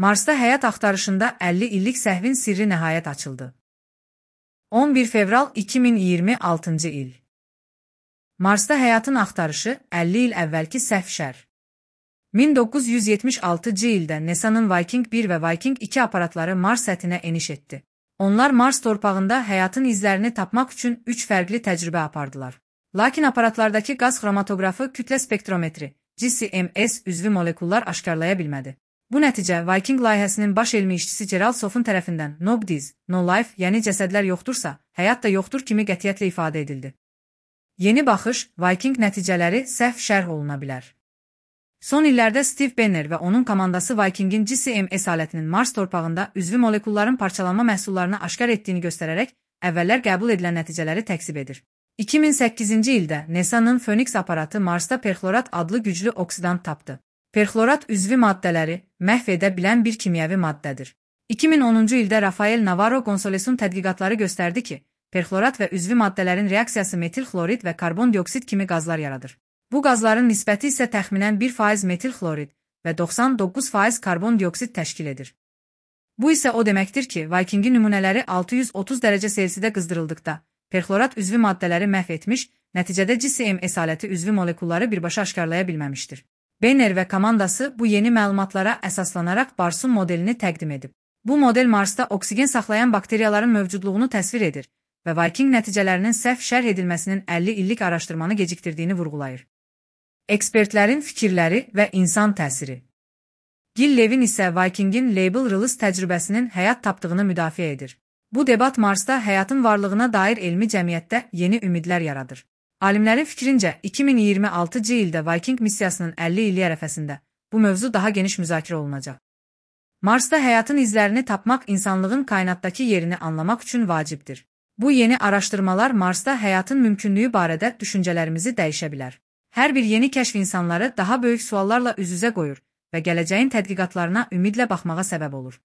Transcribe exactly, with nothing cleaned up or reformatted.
Marsda həyat axtarışında əlli illik səhvin sirri nəhayət açıldı. on bir fevral iki min iyirmi altıncı il. Marsda həyatın axtarışı əlli il əvvəlki səhv şər. min doqquz yüz yetmiş altıncı ildə NASA'nın Viking bir və Viking iki aparatları Mars səthinə eniş etdi. Onlar Mars torpağında həyatın izlərini tapmaq üçün üç fərqli təcrübə apardılar. Lakin aparatlardakı qaz xromatoqrafı kütlə spektrometri, G C M S üzvü molekullar aşkarlaya bilmədi. Bu nəticə Viking layihəsinin baş elmi işçisi Gerald Soff'un tərəfindən No Bodies, No Life, yəni cəsədlər yoxdursa, həyat da yoxdur kimi qətiyyətlə ifadə edildi. Yeni baxış, Viking nəticələri səhv şərh oluna bilər. Son illərdə Steve Benner və onun komandası Vikingin G C M S alətinin Mars torpağında üzvü molekulların parçalanma məhsullarını aşkar etdiyini göstərərək, əvvəllər qəbul edilən nəticələri təksib edir. iki min səkkizinci ildə NASA'nın Phoenix aparatı Marsda perxlorat adlı güclü oksidant tapdı. Perxlorat üzvü maddələri məhv edə bilən bir kimyəvi maddədir. iki min onuncu ildə Rafael Navarro Gonçalesun tədqiqatları göstərdi ki, perxlorat və üzvü maddələrin reaksiyası metil xlorid və karbon dioksid kimi qazlar yaradır. Bu qazların nisbəti isə təxminən bir faiz metil xlorid və doxsan doqquz faiz karbon dioksid təşkil edir. Bu isə o deməkdir ki, Vikingin nümunələri altı yüz otuz dərəcə Selsidə qızdırıldıqda, perxlorat üzvü maddələri məhv etmiş, nəticədə G C M S aləti üzvü molekulları birbaşa aşkarlaya bilməmişdir. Benner və komandası bu yeni məlumatlara əsaslanaraq Barsun modelini təqdim edib. Bu model Marsda oksigen saxlayan bakteriyaların mövcudluğunu təsvir edir və Viking nəticələrinin səhv şərh edilməsinin əlli illik araşdırmanı gecikdirdiyini vurğulayır. Ekspertlərin fikirləri və insan təsiri. Gil Levin isə Vikingin Label Release təcrübəsinin həyat tapdığını müdafiə edir. Bu debat Marsda həyatın varlığına dair elmi cəmiyyətdə yeni ümidlər yaradır. Alimlərin fikrincə, iki min iyirmi altıncı ildə Viking missiyasının əlli illik ərəfəsində bu mövzu daha geniş müzakirə olunacaq. Marsda həyatın izlərini tapmaq insanlığın kainatdakı yerini anlamaq üçün vacibdir. Bu yeni araşdırmalar Marsda həyatın mümkünlüyü barədə düşüncələrimizi dəyişə bilər. Hər bir yeni kəşf insanları daha böyük suallarla üz-üzə qoyur və gələcəyin tədqiqatlarına ümidlə baxmağa səbəb olur.